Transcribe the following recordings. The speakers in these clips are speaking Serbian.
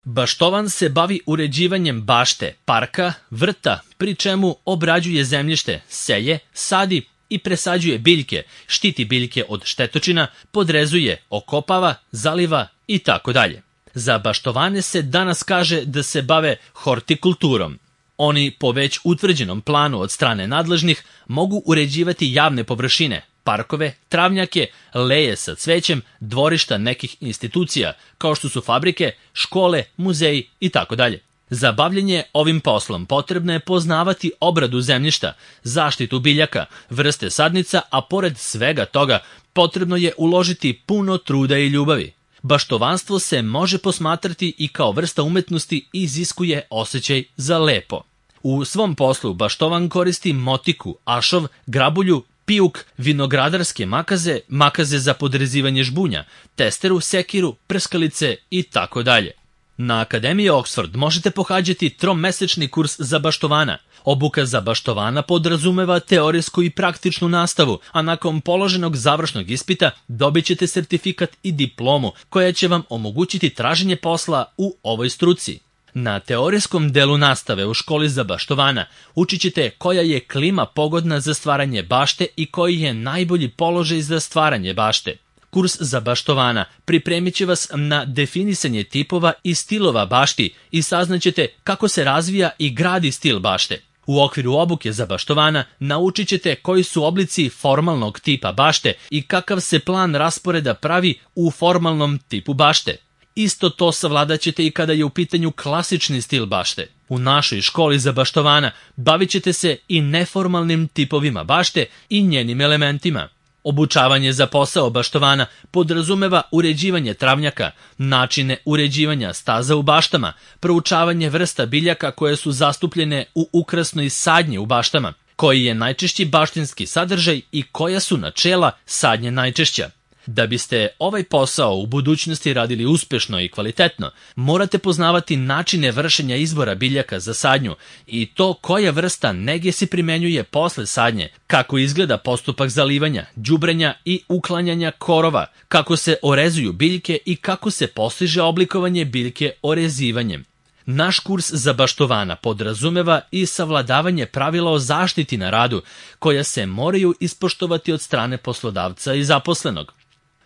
Baštovan se bavi uređivanjem bašte, parka, vrta, pri čemu obrađuje zemljište, seje, sadi i presađuje biljke, štiti biljke od štetočina, podrezuje, okopava, zaliva i tako dalje. Za baštovane se danas kaže da se bave hortikulturom. Oni po već utvrđenom planu od strane nadležnih mogu uređivati javne površine, parkove, travnjake, leje sa cvećem, dvorišta nekih institucija, kao što su fabrike, škole, muzeji i tako dalje. Za bavljenje ovim poslom potrebno je poznavati obradu zemljišta, zaštitu biljaka, vrste sadnica, a pored svega toga potrebno je uložiti puno truda i ljubavi. Baštovanstvo se može posmatrati i kao vrsta umetnosti i iziskuje osjećaj za lepo. U svom poslu baštovan koristi motiku, ašov, grabulju, pijuk, vinogradarske makaze, makaze za podrezivanje žbunja, testeru, sekiru, prskalice i tako dalje. Na Akademiji Oxford možete pohađati tromesečni kurs za baštovana. Obuka za baštovana podrazumeva teorijsku i praktičnu nastavu, a nakon položenog završnog ispita dobit ćete sertifikat i diplomu koja će vam omogućiti traženje posla u ovoj struci. Na teorijskom delu nastave u školi za baštovana učit ćete koja je klima pogodna za stvaranje bašte i koji je najbolji položaj za stvaranje bašte. Kurs za baštovana pripremit će vas na definisanje tipova i stilova bašti i saznaćete kako se razvija i gradi stil bašte. U okviru obuke za baštovana naučit ćete koji su oblici formalnog tipa bašte i kakav se plan rasporeda pravi u formalnom tipu bašte. Isto to savladat ćete i kada je u pitanju klasični stil bašte. U našoj školi za baštovana bavit ćete se i neformalnim tipovima bašte i njenim elementima. Obučavanje za posao baštovana podrazumeva uređivanje travnjaka, načine uređivanja staza u baštama, proučavanje vrsta biljaka koje su zastupljene u ukrasnoj sadnji u baštama, koji je najčešći baštinski sadržaj i koja su načela sadnje najčešća. Da biste ovaj posao u budućnosti radili uspešno i kvalitetno, morate poznavati načine vršenja izbora biljaka za sadnju i to koja vrsta nege se primenjuje posle sadnje, kako izgleda postupak zalivanja, đubrenja i uklanjanja korova, kako se orezuju biljke i kako se postiže oblikovanje biljke orezivanjem. Naš kurs za baštovana podrazumeva i savladavanje pravila o zaštiti na radu, koja se moraju ispoštovati od strane poslodavca i zaposlenog.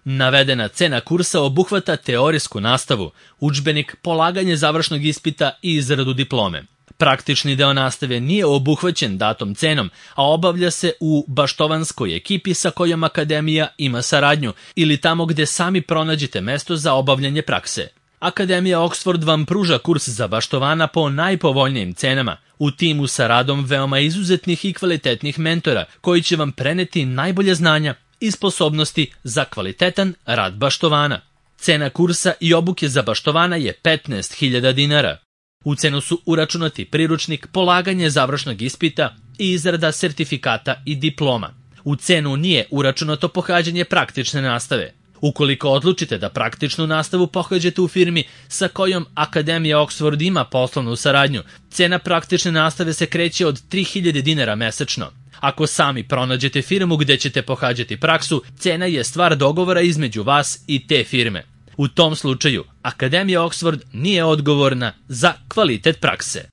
Navedena cena kursa obuhvata teorijsku nastavu, udžbenik, polaganje završnog ispita i izradu diplome. Praktični deo nastave nije obuhvaćen datom cenom, a obavlja se u baštovanskoj ekipi sa kojom Akademija ima saradnju ili tamo gde sami pronađete mesto za obavljanje prakse. Akademija Oxford vam pruža kurs za baštovana po najpovoljnijim cenama, u timu sa radom veoma izuzetnih i kvalitetnih mentora koji će vam preneti najbolje znanja i sposobnosti za kvalitetan rad baštovana. Cena kursa i obuke za baštovana je 15.000 dinara. U cenu su uračunati priručnik, polaganje završnog ispita i izrada sertifikata i diploma. U cenu nije uračunato pohađanje praktične nastave. Ukoliko odlučite da praktičnu nastavu pohađate u firmi sa kojom Akademija Oxford ima poslovnu saradnju, cena praktične nastave se kreće od 3.000 dinara mesečno. Ako sami pronađete firmu gde ćete pohađati praksu, cena je stvar dogovora između vas i te firme. U tom slučaju, Akademija Oxford nije odgovorna za kvalitet prakse.